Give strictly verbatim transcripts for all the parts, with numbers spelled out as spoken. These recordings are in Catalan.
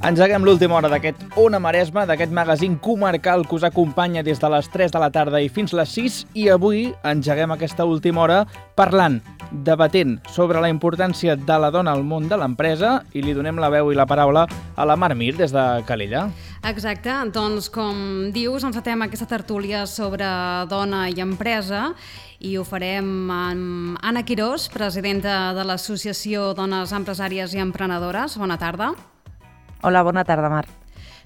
Engeguem l'última hora d'aquest Ona Maresme, d'aquest magazín comarcal que us acompanya des de les tres de la tarda i fins les sis, i avui engeguem aquesta última hora parlant, debatent sobre la importància de la dona al món de l'empresa, i li donem la veu i la paraula a la Mar Mir des de Calella. Exacte, doncs com dius, encetem aquesta tertúlia sobre dona i empresa i ho farem amb Anna Quirós, presidenta de l'Associació Dones Empresàries i Emprenedores. Bona tarda. Hola, bona tarda, Mar.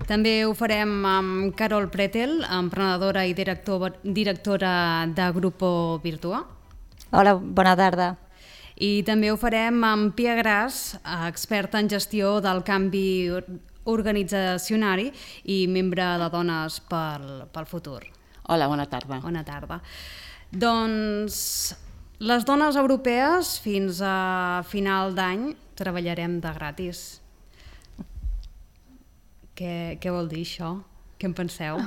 També ho farem amb Carol Pretel, emprenedora i director, directora de Grupo Virtua. Hola, bona tarda. I també ho farem amb Pia Gras, experta en gestió del canvi organitzacionari i membre de Dones pel, pel Futur. Hola, bona tarda. Bona tarda. Doncs les dones europees fins a final d'any treballarem de gratis. Què, què vol dir això? Què en penseu?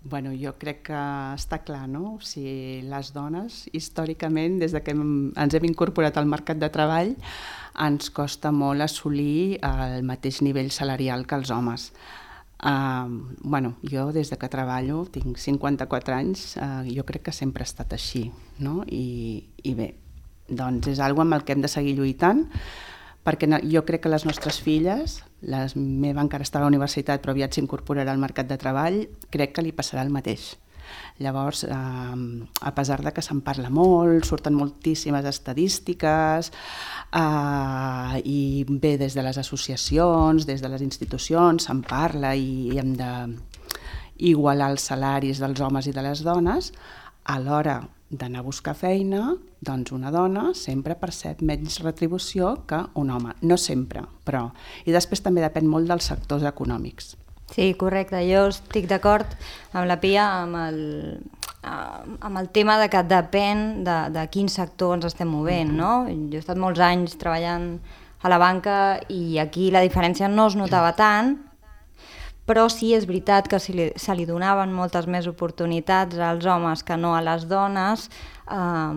Bueno, jo crec que està clar, no? O sigui, les dones, històricament, des que hem, ens hem incorporat al mercat de treball, ens costa molt assolir el mateix nivell salarial que els homes. Uh, bueno, jo des que treballo, tinc cinquanta-quatre anys, uh, jo crec que sempre ha estat així, no? I, i bé, doncs és una cosa amb el que hem de seguir lluitant, perquè jo crec que les nostres filles, la meva encara està a la universitat però aviat s'incorporarà al mercat de treball, crec que li passarà el mateix. Llavors, eh, a pesar de que se'n parla molt, surten moltíssimes estadístiques, eh, i bé, des de les associacions, des de les institucions, se'n parla i hem d'igualar els salaris dels homes i de les dones. A l'hora d'anar a buscar feina, doncs una dona sempre percep menys retribució que un home. No sempre, però. I després també depèn molt dels sectors econòmics. Sí, correcte. Jo estic d'acord amb la Pia amb el, amb el tema de que depèn de, de quin sector ens estem movent, no? Jo he estat molts anys treballant a la banca i aquí la diferència no es notava tant, però sí és veritat que se li, se li donaven moltes més oportunitats als homes que no a les dones, eh,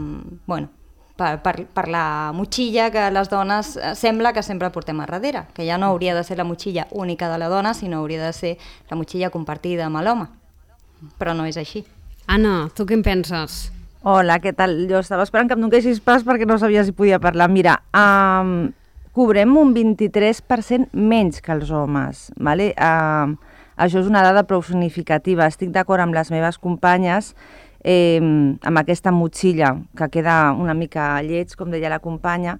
bueno, per, per, per la motxilla que les dones sembla que sempre portem a darrere, que ja no hauria de ser la motxilla única de la dona, sinó hauria de ser la motxilla compartida amb l'home, però no és així. Anna, tu què en penses? Hola, què tal? Jo estava esperant que em donessis pas perquè no sabia si podia parlar. Mira, um, cobrem un vint-i-tres per cent menys que els homes. Vale? Uh, això és una dada prou significativa. Estic d'acord amb les meves companyes eh, amb aquesta motxilla, que queda una mica lleig, com deia la companya,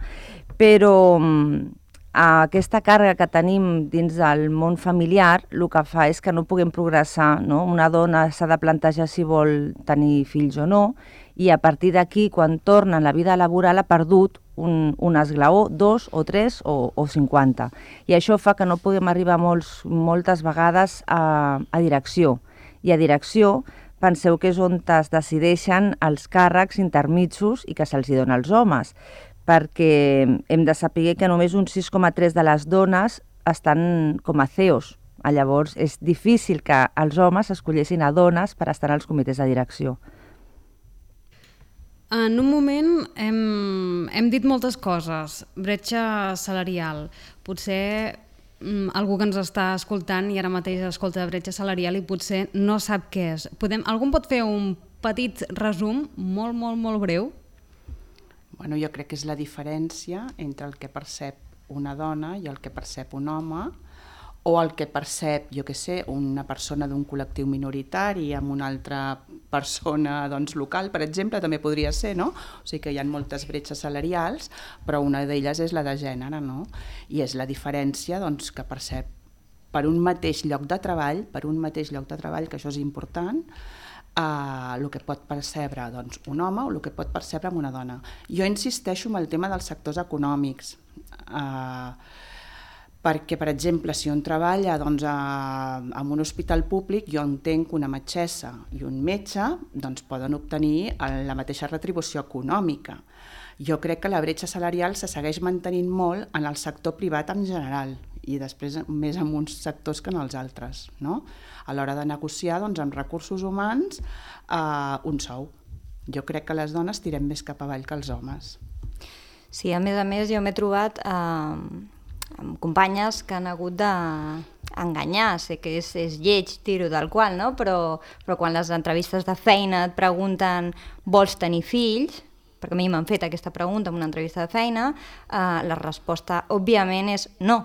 però um, aquesta càrrega que tenim dins del món familiar el que fa és que no puguem progressar, no? Una dona s'ha de plantejar si vol tenir fills o no, i a partir d'aquí, quan torna a la vida laboral, ha perdut un, un esglaó, dos o tres o, o cinquanta. I això fa que no puguem arribar molts, moltes vegades a, a direcció. I a direcció, penseu que és on es decideixen els càrrecs intermitjos i que se'ls dona als homes, perquè hem de saber que només un sis coma tres de les dones estan com a C E Os. Llavors, és difícil que els homes escollessin a dones per estar als comitès de direcció. En un moment hem, hem dit moltes coses. Bretxa salarial. Potser mm, algú que ens està escoltant i ara mateix escolta bretxa salarial i potser no sap què és. Podem, algú pot fer un petit resum molt, molt, molt breu? Bueno, jo crec que és la diferència entre el que percep una dona i el que percep un home, o el que percep, jo què sé, una persona d'un col·lectiu minoritari amb una altra persona doncs, local, per exemple, també podria ser, no? O sigui que hi ha moltes bretxes salarials, però una d'elles és la de gènere, no? I és la diferència doncs, que percep per un mateix lloc de treball, per un mateix lloc de treball, que això és important, Uh, el que pot percebre doncs, un home o el que pot percebre una dona. Jo insisteixo en el tema dels sectors econòmics, uh, perquè, per exemple, si un treballa doncs, a, en un hospital públic, jo entenc que una metgessa i un metge doncs, poden obtenir la mateixa retribució econòmica. Jo crec que la bretxa salarial se segueix mantenint molt en el sector privat en general, i després més en uns sectors que en els altres, no? A l'hora de negociar doncs, amb recursos humans eh, un sou. Jo crec que les dones tirem més cap avall que els homes. Sí, a més a més jo m'he trobat eh, amb companyes que han hagut d'enganyar, sé que és, és lleig, tiro del qual, no? però, però quan les entrevistes de feina et pregunten vols tenir fills, perquè a mi m'han fet aquesta pregunta en una entrevista de feina, eh, la resposta òbviament és no,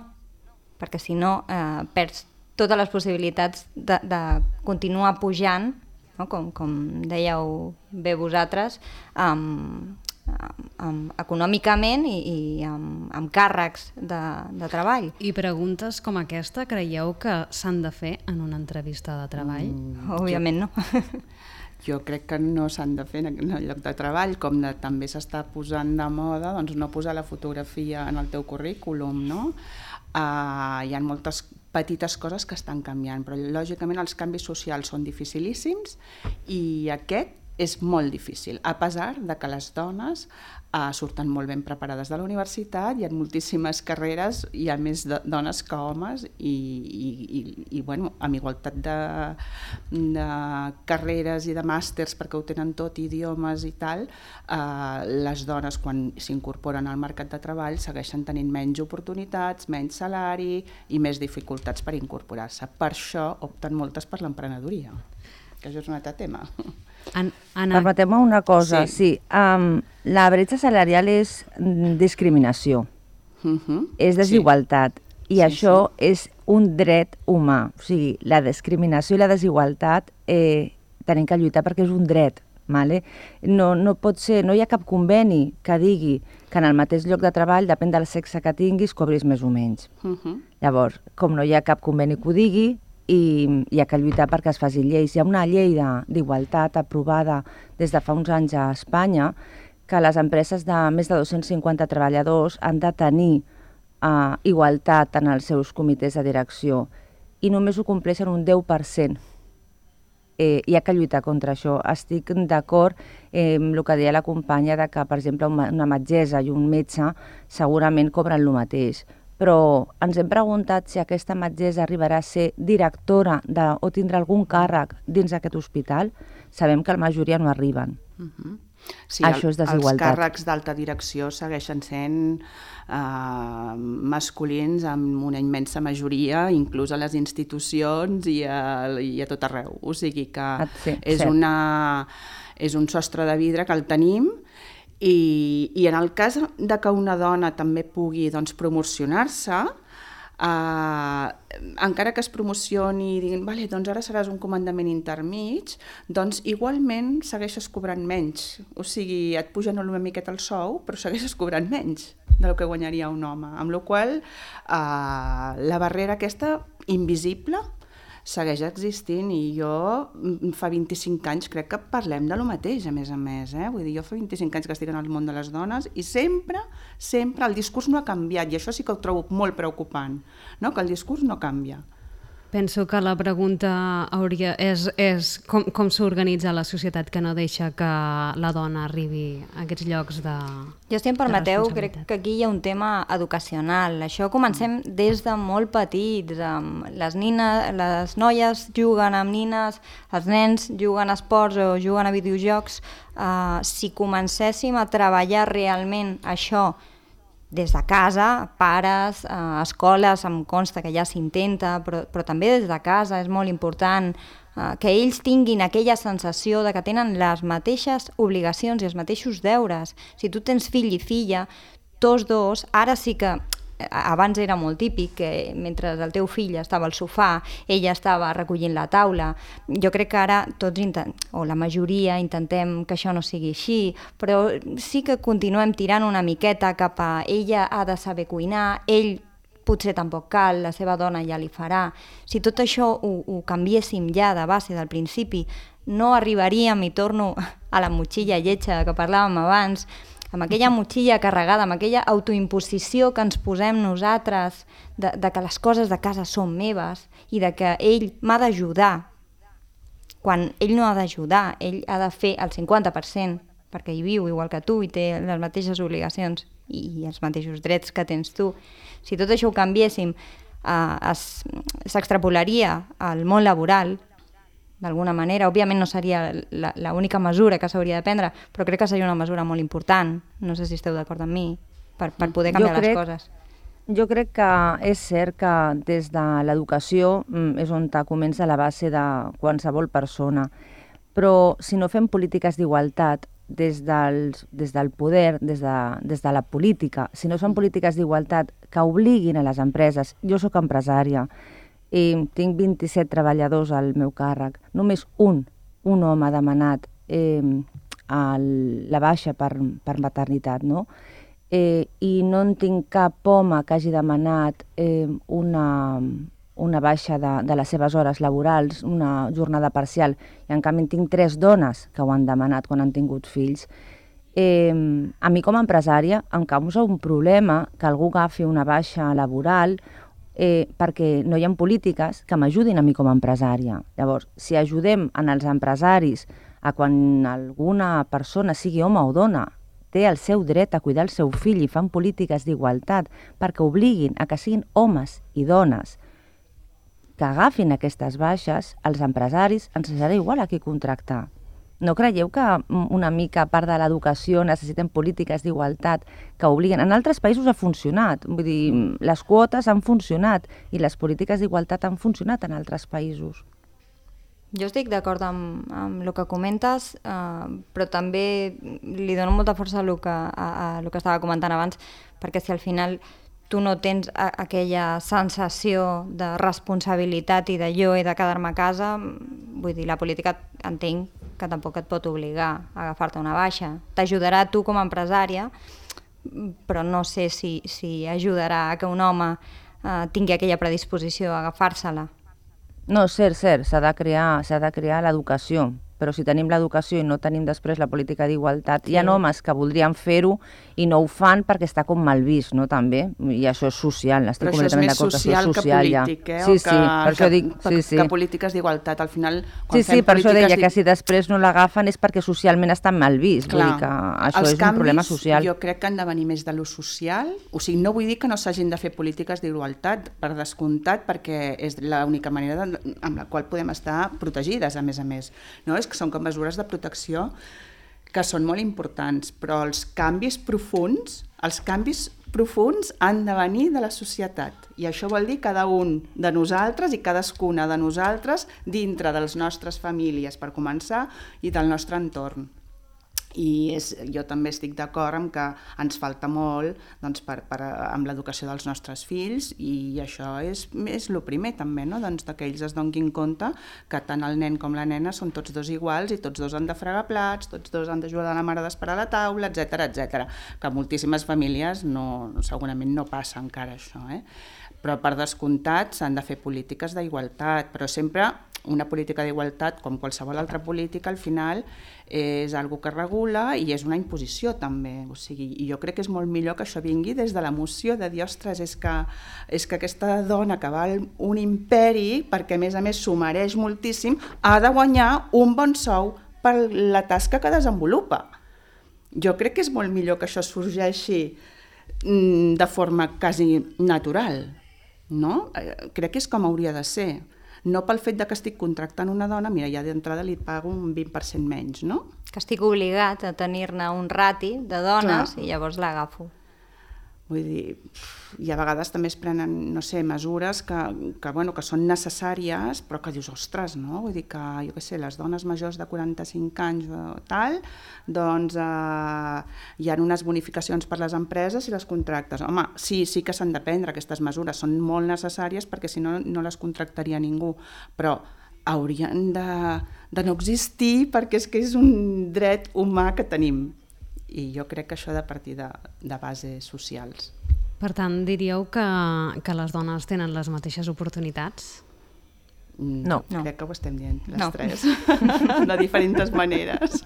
perquè si no eh, perds totes les possibilitats de, de continuar pujant, no? com, com dèieu bé vosaltres, amb, amb, amb, econòmicament i, i amb, amb càrrecs de, de treball. I preguntes com aquesta creieu que s'han de fer en una entrevista de treball? Mm, Òbviament no. Jo crec que no s'han de fer en el lloc de treball, com de, també s'està posant de moda, doncs no posar la fotografia en el teu currículum, no? Uh, hi ha moltes petites coses que estan canviant, però lògicament els canvis socials són dificilíssims i aquest és molt difícil, a pesar de que les dones uh, surten molt ben preparades de la universitat, hi ha moltíssimes carreres, hi ha més de, dones que homes i, i, i, i bueno, amb igualtat de, de carreres i de màsters perquè ho tenen tot, idiomes i tal, uh, les dones quan s'incorporen al mercat de treball segueixen tenint menys oportunitats, menys salari i més dificultats per incorporar-se. Per això opten moltes per l'emprenedoria, que això és un altre tema. An Permeteu-me una cosa, sí, sí um, la bretxa salarial és discriminació, uh -huh. és desigualtat, sí. i sí, això sí. és un dret humà, o sigui, la discriminació i la desigualtat eh, tenim que lluitar perquè és un dret, vale? no, no pot ser, no hi ha cap conveni que digui que en el mateix lloc de treball, depèn del sexe que tinguis, cobris més o menys. Uh -huh. Llavors, com no hi ha cap conveni que ho digui, i hi ha que lluitar perquè es facin lleis. Hi ha una llei d'igualtat aprovada des de fa uns anys a Espanya que les empreses de més de dos-cents cinquanta treballadors han de tenir uh, igualtat en els seus comitès de direcció i només ho compleixen un deu per cent. Eh, hi ha que lluitar contra això. Estic d'acord eh, amb el que deia la companya de que, per exemple, una metgessa i un metge segurament cobren el mateix, però ens hem preguntat si aquesta metgessa arribarà a ser directora de, o tindrà algun càrrec dins d'aquest hospital. Sabem que la majoria no arriben. Uh-huh. Sí, Això és desigualtat. Els càrrecs d'alta direcció segueixen sent uh, masculins amb una immensa majoria, inclús a les institucions i a, i a tot arreu. O sigui que sí, és, una, és un sostre de vidre que el tenim. I, i en el cas de que una dona també pugui doncs, promocionar-se, eh, encara que es promocioni i diguin vale, doncs ara seràs un comandament intermig, doncs igualment segueixes cobrant menys. O sigui, et pugen una miqueta el sou, però segueixes cobrant menys del que guanyaria un home. Amb la qual cosa, eh, la barrera aquesta invisible segueix existint i jo fa vint-i-cinc anys crec que parlem de lo mateix, a més a més. Eh? Vull dir, jo fa vint-i-cinc anys que estic en el món de les dones i sempre, sempre el discurs no ha canviat i això sí que ho trobo molt preocupant, no? Que el discurs no canvia. Penso que la pregunta hauria, és, és com, com s'organitza la societat que no deixa que la dona arribi a aquests llocs de Jo, si em permeteu, crec que aquí hi ha un tema educacional. Això comencem des de molt petits. Les, nines, les noies juguen amb nines, els nens juguen a esports o juguen a videojocs. Uh, si comencéssim a treballar realment això des de casa, pares, eh, escoles, em consta que ja s'intenta, però, però també des de casa és molt important eh, que ells tinguin aquella sensació de que tenen les mateixes obligacions i els mateixos deures. Si tu tens fill i filla, tots dos, ara sí que abans era molt típic que mentre el teu fill estava al sofà, ella estava recollint la taula. Jo crec que ara tots, o la majoria, intentem que això no sigui així, però sí que continuem tirant una miqueta cap a ella ha de saber cuinar, ell potser tampoc cal, la seva dona ja li farà. Si tot això ho, ho canviéssim ja de base del principi, no arribaríem, i torno a la motxilla lletja que parlàvem abans, amb aquella motxilla carregada, amb aquella autoimposició que ens posem nosaltres de, de que les coses de casa són meves i de que ell m'ha d'ajudar, quan ell no ha d'ajudar, ell ha de fer el cinquanta per cent perquè hi viu igual que tu i té les mateixes obligacions i els mateixos drets que tens tu. Si tot això ho canviéssim, eh, s'extrapolaria al món laboral, d'alguna manera. Òbviament no seria l'única mesura que s'hauria de prendre, però crec que seria una mesura molt important. No sé si esteu d'acord amb mi, per, per poder canviar crec, les coses. Jo crec que és cert que des de l'educació és on comença la base de qualsevol persona, però si no fem polítiques d'igualtat des, dels, des del poder, des de, des de la política, si no són polítiques d'igualtat que obliguin a les empreses, jo sóc empresària i tinc vint-i-set treballadors al meu càrrec, només un, un home ha demanat eh, el, la baixa per, per maternitat, no? Eh, i no en tinc cap home que hagi demanat eh, una, una baixa de, de les seves hores laborals, una jornada parcial, i en canvi en tinc tres dones que ho han demanat quan han tingut fills. Eh, a mi com a empresària em causa un problema que algú agafi una baixa laboral eh, perquè no hi ha polítiques que m'ajudin a mi com a empresària. Llavors, si ajudem en els empresaris a quan alguna persona, sigui home o dona, té el seu dret a cuidar el seu fill i fan polítiques d'igualtat perquè obliguin a que siguin homes i dones que agafin aquestes baixes, els empresaris ens serà igual a qui contractar. No creieu que una mica a part de l'educació necessitem polítiques d'igualtat que obliguen? En altres països ha funcionat, vull dir, les quotes han funcionat i les polítiques d'igualtat han funcionat en altres països. Jo estic d'acord amb, amb el que comentes, eh, però també li dono molta força a el que, a, a el que estava comentant abans, perquè si al final tu no tens a, aquella sensació de responsabilitat i de jo he de quedar-me a casa, vull dir, la política entenc que tampoc et pot obligar a agafar-te una baixa. T'ajudarà tu com a empresària, però no sé si, si ajudarà a que un home eh, tingui aquella predisposició a agafar-se-la. No, cert, cert, s'ha de crear, s'ha de crear l'educació, però si tenim l'educació i no tenim després la política d'igualtat, sí. Hi ha homes que voldrien fer-ho i no ho fan perquè està com mal vist, no, també? I això és social, estic completament d'acord que això és social. Però això és més social que polític, eh? Sí, sí, que, per això dic... Que, sí, sí. que polítiques d'igualtat, al final... Sí, sí, per això deia que si després no l'agafen és perquè socialment està mal vist, vull dir que això és un problema social. Jo crec que han de venir més de lo social, o sigui, no vull dir que no s'hagin de fer polítiques d'igualtat, per descomptat, perquè és l'única manera de, amb la qual podem estar protegides, a més a més, no? És que són com mesures de protecció que són molt importants, però els canvis profunds, els canvis profunds han de venir de la societat, i això vol dir cada un de nosaltres i cadascuna de nosaltres dintre de les nostres famílies, per començar, i del nostre entorn. I és, jo també estic d'acord amb que ens falta molt doncs, per, per, amb l'educació dels nostres fills, i això és, és el primer també, no? Doncs, que ells es donin compte que tant el nen com la nena són tots dos iguals i tots dos han de fregar plats, tots dos han d'ajudar la mare a desperar la taula, etcètera, etcètera, que moltíssimes famílies no, segurament no passa encara això, eh? Però per descomptat s'han de fer polítiques d'igualtat, però sempre una política d'igualtat, com qualsevol altra política, al final és algo que regula i és una imposició també, o sigui, i jo crec que és molt millor que això vingui des de l'emoció de dir, ostres, és que, és que aquesta dona que val un imperi, perquè a més a més s'ho mereix moltíssim, ha de guanyar un bon sou per la tasca que desenvolupa. Jo crec que és molt millor que això sorgeixi de forma quasi natural, no? Crec que és com hauria de ser. No pel fet de que estic contractant una dona, mira, ja d'entrada li pago un vint per cent menys, no? Que estic obligat a tenir-ne un rati de dones. Clar. I llavors l'agafo. Vull dir, i a vegades també es prenen, no sé, mesures que, que, bueno, que són necessàries, però que dius, ostres, no? Vull dir que, jo què sé, les dones majors de quaranta-cinc anys o tal, doncs eh, hi ha unes bonificacions per les empreses i les contractes. Home, sí, sí que s'han de prendre aquestes mesures, són molt necessàries perquè si no, no les contractaria ningú, però haurien de, de no existir perquè és que és un dret humà que tenim. I jo crec que això ha de partir de, de bases socials. Per tant, diríeu que, que les dones tenen les mateixes oportunitats? No. Crec no. que ho estem dient, les no. tres, de diferents maneres,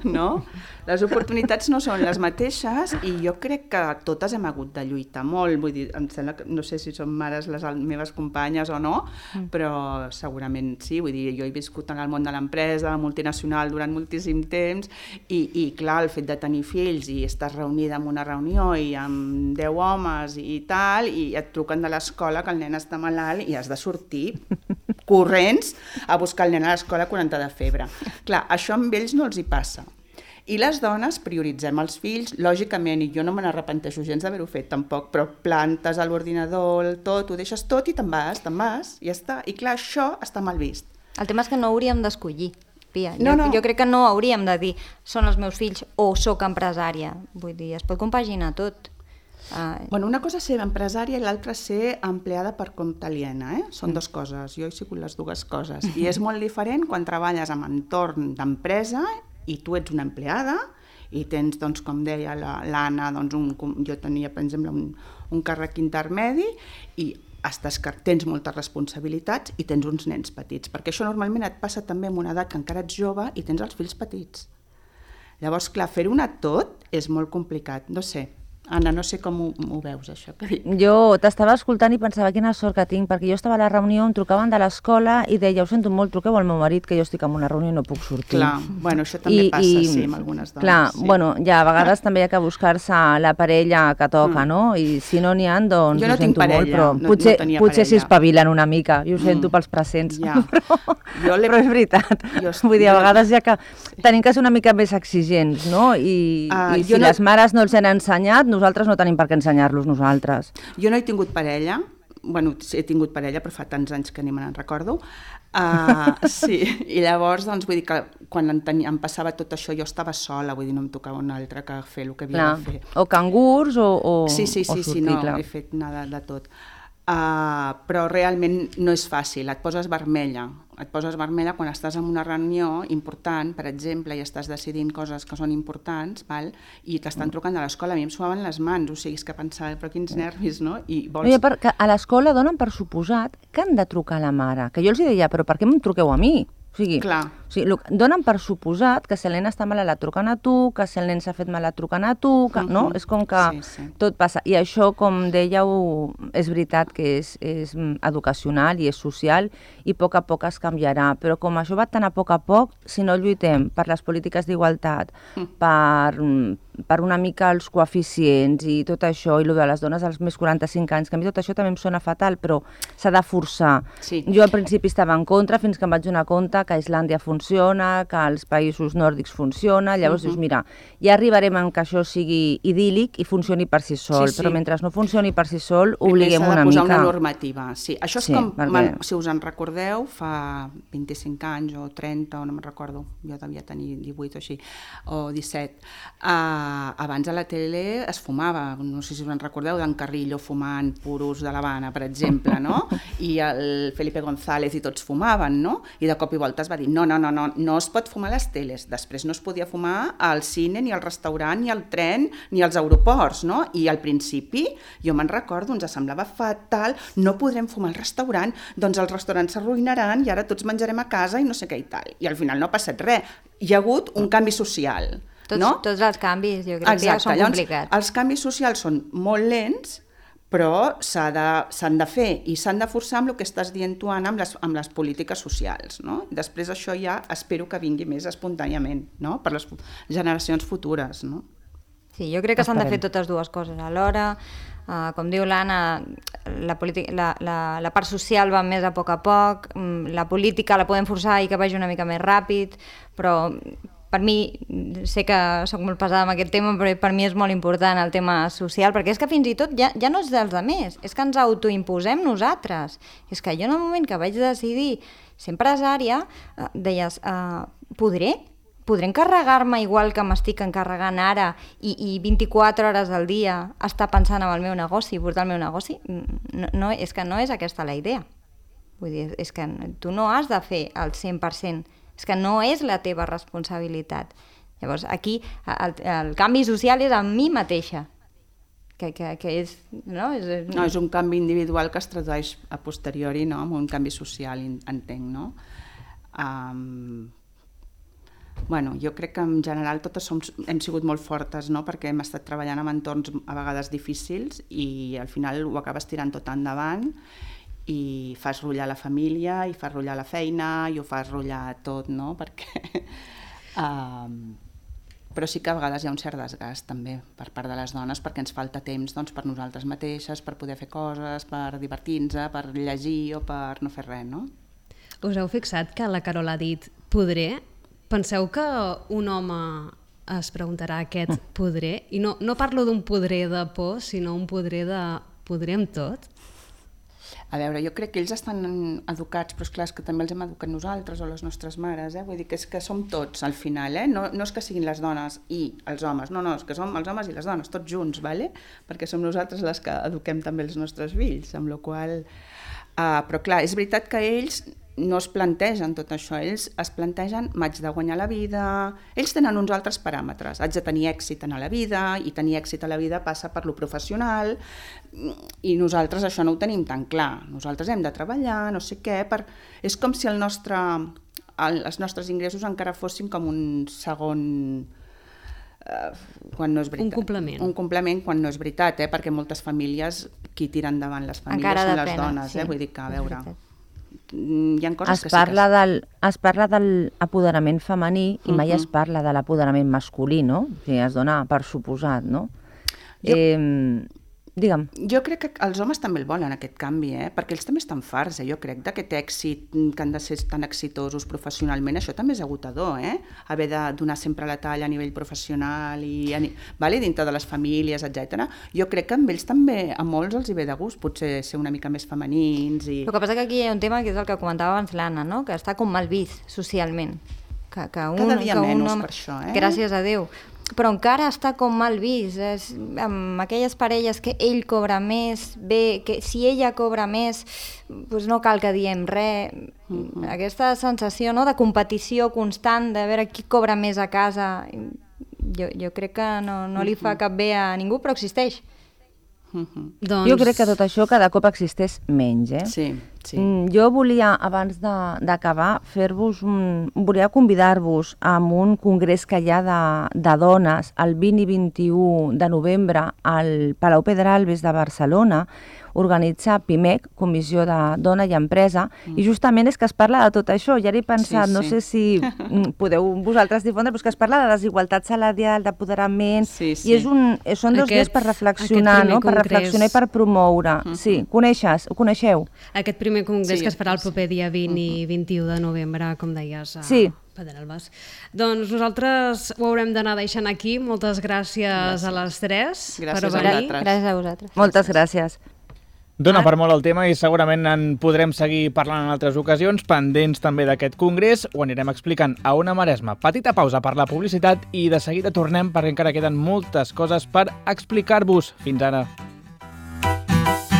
no? Les oportunitats no són les mateixes i jo crec que totes hem hagut de lluitar molt, vull dir, em sembla que, no sé si són mares les meves companyes o no, mm. però segurament sí, vull dir, jo he viscut en el món de l'empresa, multinacional durant moltíssim temps i, i clar, el fet de tenir fills i estàs reunida en una reunió i amb deu homes i tal, i et truquen de l'escola que el nen està malalt i has de sortir corrents a buscar el nen a l'escola quaranta de febre. Clar, això amb ells no els hi passa. I les dones prioritzem els fills, lògicament, i jo no me n'arrepenteixo gens d'haver-ho fet tampoc, però plantes a l'ordinador, tot, ho deixes tot i te'n vas, te'n vas, i ja està. I clar, això està mal vist. El tema és que no hauríem d'escollir, Pia. No, jo, no. jo crec que no hauríem de dir són els meus fills o sóc empresària. Vull dir, es pot compaginar tot. Uh... Bueno, una cosa és ser empresària i l'altra ser empleada per compte aliena, eh? Són dues coses, jo he sigut les dues coses. I és molt diferent quan treballes en entorn d'empresa i tu ets una empleada i tens, doncs, com deia l'Anna, doncs un, jo tenia, per exemple, un, un càrrec intermedi i estàs, tens moltes responsabilitats i tens uns nens petits, perquè això normalment et passa també en una edat que encara ets jove i tens els fills petits. Llavors, clar, fer-ho anar tot és molt complicat, no sé. Anna, no sé com ho, ho veus, això que dic. Jo t'estava escoltant i pensava quina sort que tinc, perquè jo estava a la reunió, em trucaven de l'escola i deia, ho sento molt, truqueu al meu marit, que jo estic en una reunió i no puc sortir. Clar, bueno, això també I, passa, i, sí, amb algunes dones. Clar, sí. bueno, ja a vegades ah. també hi ha que buscar-se la parella que toca, mm. no? I si no n'hi ha, doncs jo no ho sento parella, molt, però no, potser, no potser s'hi espavilen una mica, i ho sento mm. pels presents, ja. però, jo però és veritat. Jo Vull dir, a vegades ja que tenim que ser una mica més exigents, no? I, uh, i si no... les mares no els han ensenyat, nosaltres no tenim per què ensenyar-los nosaltres. Jo no he tingut parella, bueno, he tingut parella, però fa tants anys que ni me n'en recordo. Uh, sí, i llavors, doncs, vull dir que quan em, tenia, em passava tot això, jo estava sola, vull dir, no em tocava un altre que fer el que havia clar. de fer. O cangurs o, o, sí, sí, sí, o sortir, sí, no, clar. he fet nada de tot. Uh, però realment no és fàcil, et poses vermella, et poses vermella quan estàs en una reunió important, per exemple, i estàs decidint coses que són importants, val? I t'estan trucant de l'escola, a mi em suaven les mans, o sigui, és que pensava, però quins nervis, no? I vols... no, perquè a l'escola donen per suposat que han de trucar a la mare, que jo els deia, però per què em truqueu a mi? O sigui, clar. O sigui, donen per suposat que si el nen està malalt et truquen a tu, que si el nen s'ha fet mal et truquen a tu, que, uh-huh. no? És com que sí, sí. tot passa. I això, com dèieu, és veritat que és, és educacional i és social i a poc a poc es canviarà. Però com això va tan a poc a poc, si no lluitem per les polítiques d'igualtat, uh-huh. per, per una mica els coeficients i tot això, i el de les dones als més quaranta-cinc anys, que a mi tot això també em sona fatal, però s'ha de forçar. Sí. Jo al principi estava en contra, fins que em vaig donar compte que a Islàndia funciona, que als països nòrdics funciona, llavors uh-huh. dius, mira, ja arribarem en que això sigui idíl·lic i funcioni per si sol, sí, sí. però mentre no funcioni per si sol, obliguem una mica. S'ha de posar una normativa, sí. Això és sí, com, perquè... si us en recordeu, fa vint-i-cinc anys o trenta, o no me'n recordo, jo devia tenir divuit o així, o disset, uh, abans a la tele es fumava, no sé si us en recordeu, d'en Carrillo fumant puros de l'Havana, per exemple, no? I el Felipe González i tots fumaven, no? I de cop i volta es va dir, no, no, no, no, no es pot fumar a les teles, després no es podia fumar al cine, ni al restaurant, ni al tren, ni als aeroports, no? I al principi, jo me'n recordo, ens semblava fatal, no podrem fumar al restaurant, doncs els restaurants s'arruïnaran i ara tots menjarem a casa i no sé què i tal. I al final no ha passat res, hi ha hagut un canvi social. Tots, no? tots els canvis, jo crec Exacte. que ja són Llavors, complicats. Els canvis socials són molt lents, però s'han de, s'han de fer i s'han de forçar amb el que estàs dient tu, Anna, amb les, amb les polítiques socials. No? Després això ja espero que vingui més espontàniament, no? Per les generacions futures. No? Sí, jo crec que s'han de fer totes dues coses alhora. Uh, com diu l'Anna, la, la, la, la part social va més a poc a poc, la política la podem forçar i que vagi una mica més ràpid, però per mi, sé que soc molt pesada amb aquest tema, però per mi és molt important el tema social, perquè és que fins i tot ja, ja no és dels altres, és que ens autoimposem nosaltres. És que jo en el moment que vaig decidir ser empresària, eh, deies, eh, podré? Podré encarregar-me igual que m'estic encarregant ara i, i vint-i-quatre hores al dia estar pensant en el meu negoci, portar el meu negoci? No, no, és que no és aquesta la idea. Vull dir, és que tu no has de fer el cent per cent, és que no és la teva responsabilitat. Llavors, aquí el, el canvi social és amb mi mateixa, que, que, que és, no? És... No, és un canvi individual que es tradueix a posteriori, no? Amb un canvi social, entenc, no? Um, bueno, jo crec que en general totes som, hem sigut molt fortes, no? Perquè hem estat treballant en entorns a vegades difícils i al final ho acabes tirant tot endavant i fas rotllar la família, i fas rotllar la feina, i ho fas rotllar tot, no? Perquè... Um, però sí que a vegades hi ha un cert desgast també per part de les dones, perquè ens falta temps doncs, per nosaltres mateixes, per poder fer coses, per divertir-nos, per llegir o per no fer res, no? Us heu fixat que la Carol ha dit podré? Penseu que un home es preguntarà aquest podré, i no, no parlo d'un podré de por, sinó un podré de podrem tot. A veure, jo crec que ells estan educats, però és clar, és que també els hem educat nosaltres o les nostres mares, eh? Vull dir que és que som tots al final, eh? No, no és que siguin les dones i els homes, no, no, és que som els homes i les dones, tots junts, ¿vale? Perquè som nosaltres les que eduquem també els nostres fills, amb la qual cosa... Uh, però clar, és veritat que ells no es plantegen tot això, ells es plantegen m'haig de guanyar la vida, ells tenen uns altres paràmetres, haig de tenir èxit en la vida, i tenir èxit a la vida passa per lo professional, i nosaltres això no ho tenim tan clar, nosaltres hem de treballar, no sé què, per... és com si el nostre, el, els nostres ingressos encara fossin com un segon... Uh, quan no és veritat. Un complement. Un complement quan no és veritat, eh? Perquè moltes famílies qui tiren endavant les famílies encara són les depèn, dones, sí. eh? Vull dir que, a veure, hi ha coses es que parla sí que... del, es parla de l'apoderament femení i mai Uh-huh. es parla de l'apoderament masculí, no? O sigui, es dona per suposat, no? Jo- Eh, digue'm. Jo crec que els homes també el volen, aquest canvi, eh? Perquè ells també estan farts, eh? Jo crec, d'aquest èxit, que han de ser tan exitosos professionalment, això també és agotador, eh? Haver de donar sempre la talla a nivell professional i a ni... vale? Dintre de les famílies, etcètera. Jo crec que amb ells també, a molts els hi ve de gust, potser ser una mica més femenins i... El que passa que aquí hi ha un tema que és el que comentava abans l'Anna, no? Que està com mal vist socialment. Que, que un, Cada dia que un menys home... per això, eh? Gràcies a Déu. Però encara està com mal vist. És, amb aquelles parelles que ell cobra més, bé, que si ella cobra més, doncs no cal que diem res. Uh-huh. Aquesta sensació, no?, de competició constant, de veure qui cobra més a casa, jo, jo crec que no, no li fa cap bé a ningú, però existeix. Uh-huh. Doncs... Jo crec que tot això cada cop existeix menys, eh? Sí, sí. Mm, Jo volia, abans de- d'acabar, fer-vos un... volia convidar-vos a un congrés que hi ha de, de dones el vint i vint-i-u de novembre al Palau Pedralbes de Barcelona. Organitza PIMEC, Comissió de Dona i Empresa, mm. i justament és que es parla de tot això. Ja he pensat, Sí, no sí. sé si mm, podeu vosaltres difondre, però és que es parla de desigualtat salarial, d'apoderament, Sí, sí. i és un, són dos Aquest- dies per reflexionar, aquest primer no? Per congrés. reflexionar i per promoure. Mhm. Sí, coneixes, ho coneixeu? Aquest primer congrés Sí, que es farà el proper dia vint i Uh-huh. vint-i-u de novembre, com deies, a Sí. Pedralbes. Doncs nosaltres ho haurem d'anar deixant aquí. Moltes gràcies, gràcies. a les tres Gràcies per a venir. vosaltres. Gràcies a vosaltres. Moltes gràcies. Dona per molt el tema i segurament en podrem seguir parlant en altres ocasions, pendents també d'aquest congrés, ho anirem explicant a Ona Maresma. Petita pausa per la publicitat i de seguida tornem perquè encara queden moltes coses per explicar-vos. Fins ara.